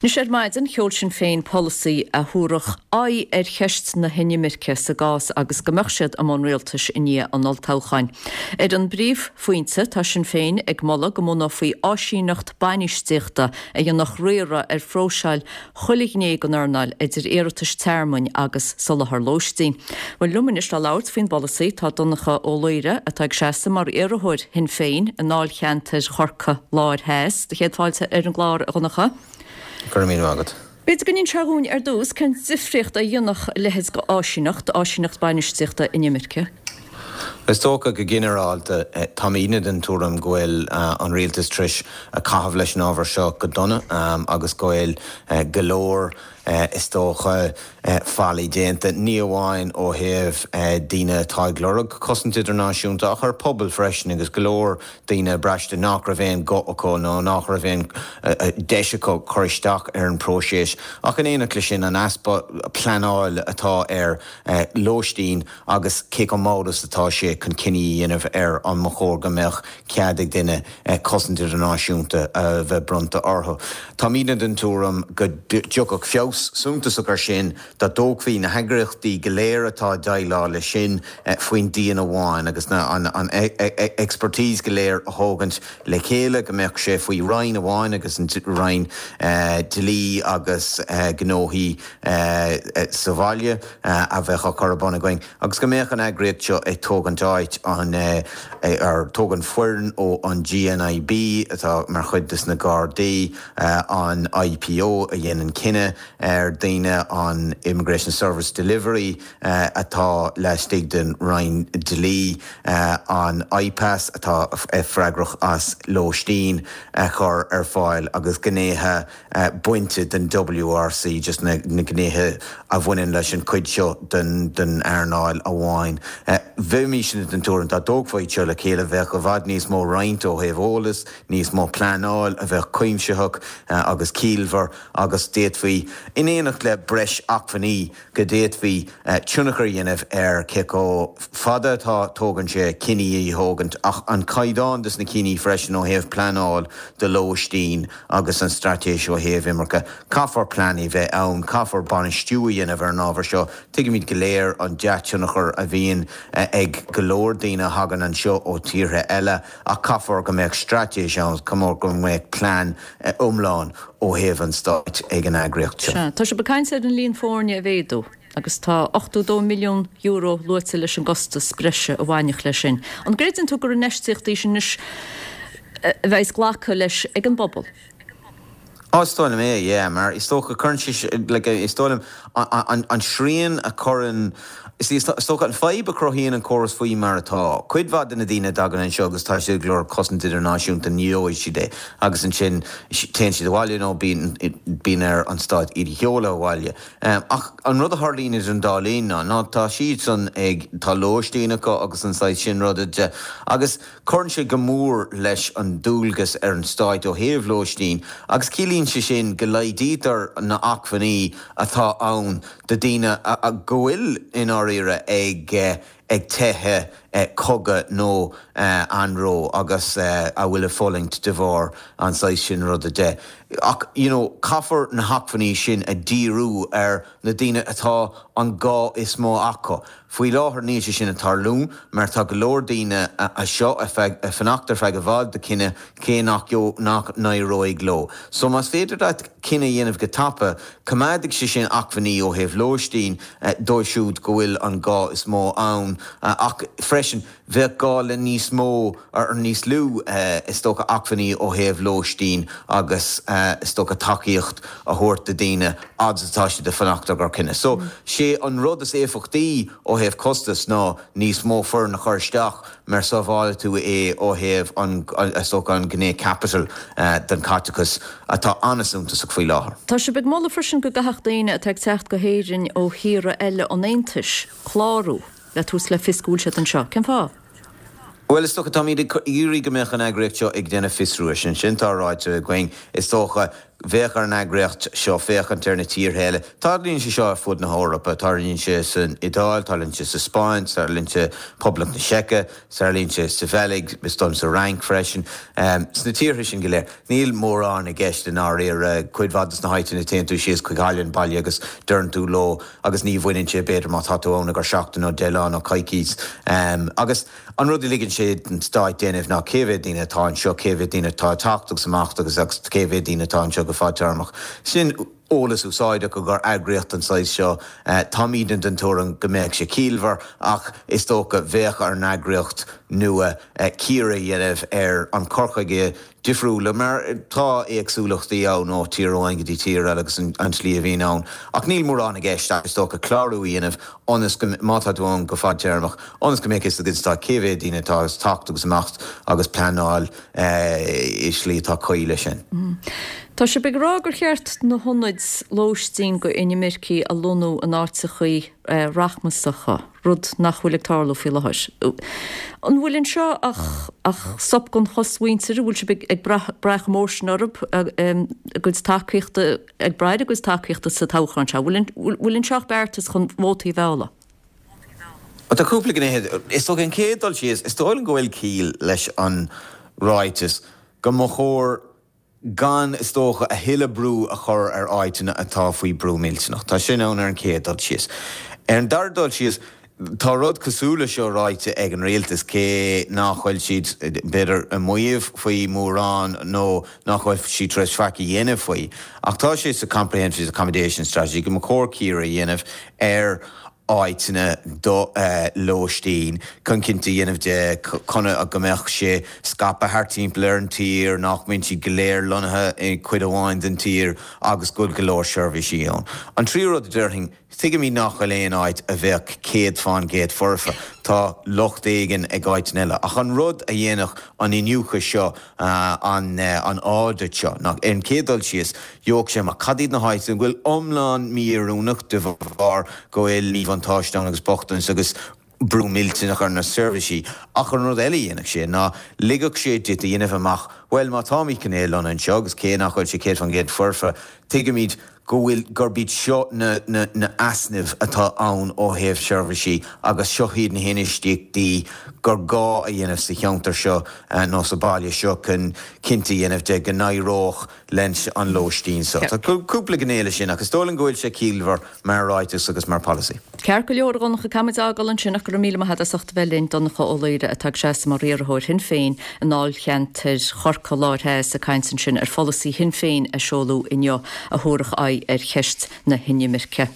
Anois ar maidin, sheol Sinn Féin polasaí a thabharfadh aghaidh ar cheist na hinimirce sa gcás agus go mbeadh siad i mbun rialtais i ndiaidh an olltoghcháin. Ar an bpríomhphointe, tá Sinn Féin ag moladh go mbunófaí áisíneacht bainistíochta a dhéanfadh riaradh ar phróiseáil chuile ghné den earnáil, idir iarratais tearmainn agus soláthar lóistín. Bhuel, liom anois le labhairt faoin bpolasaí tá Donncha Ó Laoghaire, atá ag seasamh mar iarrthóir Shinn Féin i ndáilcheantar Chorcaí Láir Theas. Do chéad fáilte ar an gclár, a Dhonncha. Go raibh míle maith agat. B'fhéidir go n-inseofá dhúinn ar dtús cén difríocht a dhéanfadh a leithéid d'áisíneacht, áisíneacht bainistíochta inimirce? Is dócha go ginearálta, táimidne den tuairim go bhfuil an rialtas tar éis caitheamh leis an ábhar seo go dona agus go bhfuil go leor, is dócha, faillí déanta, ní amháin ó thaobh daoine atá ag lorg cosaint idirnáisiúnta ach ar pobal freisin agus go leor daoine ag braistint nach raibh aon ghuth acu nó nach raibh aon deis acu cur isteach ar an bpróiseas. Ach in éineacht leis sin, an easpa pleanáil atá ar lóistín agus cé chomh mall is atá sé chun cinní a dhéanamh ar an mba chóir go mbeadh cead ag duine cosaint idirnáisiúnta a bheith bronnta orthu. Táimidne den tuairim go dtiocfadh feabhas suntasach air sin dá dtógfaí na heagraíochtaí go léir atá ag déileáil leis sin faoin díon amháin agus an expertise go léir a thógaint le chéile, go mbeadh sé faoi roinn amháin agus an Roinn Dlí agus Gnóthaí sa bhaile. a bheadh á cur ar bun againn agus go mbeadh an eagraíocht seo ag tógaint áit an ar tógaint foireann ó an GNIB atá mar chuid des na Gardaí, an IPO a dhéanann cinneadh ar daoine, an Immigration Service Delivery atá laistigh den Roinn Dlí, an IPAS atá freagrach as lóistín a chur ar fáil agus gnéithe bainte den WRC, just na gnéithe a bhaineann leis an chuid seo den earnáil amháin. Bheimisne den tuairim dá dtógfaí iad seo le chéile, bheadh i bhfad níos mó roinnt ó thaobh eolas, níos mó pleanáil a bheadh cuimsitheach agus ciallmhar agus d'fhéadfaí, in éineacht le breis acmhainní, go d'fhéadfaí tionchar a dhéanamh ar cé chomh fada atá tógann sé cinní a thógaint ach an caighdeán des na cinní freisin ó thaobh pleanáil do lóistín agus an straitéis ó thaobh imirce. Caithfear plean a bheith ann, caithfear bainistiú a dhéanamh ar an ábhar seo. Tuigimid go léir an dea-tionchar a bhíonn ag go leor daoine a thagann anseo ó tíortha eile ach caithfear go mbeadh straitéis ann, caithfear go mbeadh plean iomlán ó thaobh an stáit ag an eagraíocht seo. Sea, tá sibh ag caint ar an líon foirne a mhéadú agus tá €82 milliún luaite leis an gcostas breise a bhainfeadh leis sin. An gcreideann tú gur infheistíocht í sin anois a bheas glactha leis ag an bpobal? Á, is dóigh liom é, yeah, mar is dócha cuireann sé, like, is dóigh liom an srian a chuireann, is dócha an fadhb a chruthaíonn an córas faoi mar atá, cuid mhaith de na daoine a dtagann anseo agus tá siad ag lorg cosaint idirnáisiúnta, ní gheobhaidh siad é agus ansin téann siad abhaile nó bíonn, bíonn ar an stát iad a sheoladh abhaile. Ach an rud a tharlaíonn idir an dá linn ná, ná tá siadsan ag, tá lóistín acu agus an saghas sin ruda de agus, Cuireann sé go mór leis an dualgas ar an stáit ó thaobh lóistín agus ciallaíonn sé sin go laghdaítear na acmhainní atá ann do daoine go bhfuil i ndáiríre ag ag teitheadh cogadh nó anró agus a bhfuil ag fulaingt de bharr an saghas sin ruda de. Ach you know caithfear na hacmhainní sin a dhíriú ar na daoine atá an gá is mó acu. Faoi láthair níl sé sin ag tarlú mar tá go leor daoine anseo ag fanacht ar feadh i bhfad do chinneadh cé nach nach n-éireoidh leo. So más féidir leat cinneadh a dhéanamh go tapa, coimeádfaidh sé sin acmhainní ó thaobh lóistín dóibh siúd go bhfuil an gá is mó ann ach freisin bheadh gá le níos mó, or níos lú is dócha, acmhainní ó thaobh lóistín agus is dócha tacaíocht a thabhairt do daoine fhad is atá siad ag fanacht ar gcomhair cinneadh. So, sé an rud is éifeachtaí ó thaobh costais ná níos mó foireann a chur isteach mar sábhálfaidh tú é ó thaobh an, is dócha, an gné capital den chaiteachas atá an-suntasach faoi láthair. Tá sibh ag moladh freisin go gcaithfeadh daoine atá ag teacht go hÉirinn ó thíortha eile an Aontais clárú. le tabhairt le fios go bhfuil siad anseo. Cén fáth? Bhuel, is dócha, táimid ag iarraidh go mbeadh an eagraíocht seo ag déanamh fiosrú air sin. Sin atá ráite againn. Is dócha. Bheadh ar an eagraíocht seo féachaint ar na tíortha eile. Tarlaíonn sé seo ar fud na hEorpa. Tarlaíonn sé san Iodáil, tarlaíonn sé sa Spáinn, tarlaíonn sé Poblacht na Seice, tarlaíonn sé sa Bheilg, is dóigh liom sa Fhrainc freisin. Sna tíortha sin go léir, níl mórán i gceist i ndáiríre. Cuid mhaith de na háiteanna téann tú síos chuig halla an bhaile agus deireann tú leo agus ní bhaineann sé b'fhéidir má tá tú ann i gcomhair seachtain nó 10 lá nó coicís. Agus. An rud a ligeann sé don stáit déanamh ná cé mhéad daoine atá anseo, cé mhéad daoine atá ag teacht agus imeacht agus agus cé mhéad daoine atá anseo go fadtéarmach. Sin eolas úsáideach i gcomhair eagraíocht den saghas seo. Táimidne den tuairim go mbeadh sé ciallmhar ach is dócha bheadh ar an eagraíocht nua cíoradh a dhéanamh ar an chur chuige difriúla mar tá éagsúlachtaí ann ó tír amháin go dtí tír eile agus an tslí a bhíonn ann. Ach níl mórán i gceist ach is dócha clárú a dhéanamh ionas go, má tá tú ann go fadtéarmach, ionas go mbeadh fhios ag an stát cé mhéad daoine atá ag teacht agus imeacht agus pleanáil i slí atá cuí leis sin. Tá sibh ag rá gur cheart na hionaid lóistín go inimircigh a lonnú in áiteachaí rachmasacha. rud nach bhfuil ag tarlú faoi láthair. An bhfuil anseo ach ach sop don chosmhuintir? An bhfuil sibh ag brath chomh mór sin orthu, a gcuid tacaíochta, ag brath ar a gcuid tacaíochta sa toghchán seo? An bhfuil anseo ach beartas chun vótaí a mhealladh? Tá cúpla gné. Is dócha an chéad dul síos, is dóigh liom go bhfuil ciall leis an ráiteas go mba chóir gan, is dócha, a thuilleadh brú a chur ar áiteanna atá faoi brú millteanach. Tá sin ann ar an chéad dul síos. Ar an dara dul síos, tá rud cosúil leis seo ráite ag an rialtas, cé nach bhfuil siad, b'fhéidir, ag maíomh faoi mórán nó nach bhfuil siad tar éis faic a dhéanamh faoi, ach tá sé sa Comprehensive Accommodation Strategy go mba chóir cíoradh a dhéanamh ar áiteanna do lóistín chun cinnte a dhéanamh de go mbeadh sé scaipthe thart timpeall ar an tír, nach mbíonn siad go léir lonnaithe i gcuid amháin den tír agus go bhfuil go leor seirbhísí ann. An tríú rud a déarfainn, tuigimid nach bhfuil aon áit a bheadh 100% foirfe, tá locht éigin ag áiteanna eile, ach an rud a dhéanfadh an iniúchadh seo, an audit seo, ná ar an chéad dul síos, Gheobhadh sé amach cad iad na háiteanna go bhfuil iomlán mí-oiriúnach de bharr go bhfuil míbhuntáiste ann agus bochtanas agus brú millteanach ar na seirbhísí. Ach an rud eile a dhéanfadh sé ná ligfeadh sé duit a dhéanamh amach, bhuel, má táimid chun é a lonnú anseo agus cé nach bhfuil sé 100% foirfe, tuigimid go bhfuil, gurb iad seo na na na easnaimh atá ann ó thaobh seirbhísí agus seo iad na hinfheistíochtaí gur gá a dhéanamh sa cheantar seo nó sa bhaile seo chun cinnte a dhéanamh de go n-éireodh leis an lóistín seo. Tá cúpla gné leis sin ach is dóigh liom go bhfuil sé ciallmhar mar ráiteas agus mar pholasaí. Ceart go leor, a Dhonncha, caithfimid a fhágáil ansin ach go raibh míle maith agat as ucht a bheith linn, Donncha Ó Laoire atá ag seasamh mar iarrthóir Shinn Féin i ndáilcheantar Chorcaí Láir Theas ag caint ansin ar pholasaí Shinn Féin a seoladh inniu a thabharfadh aghaidh ar cheist na hinimirce.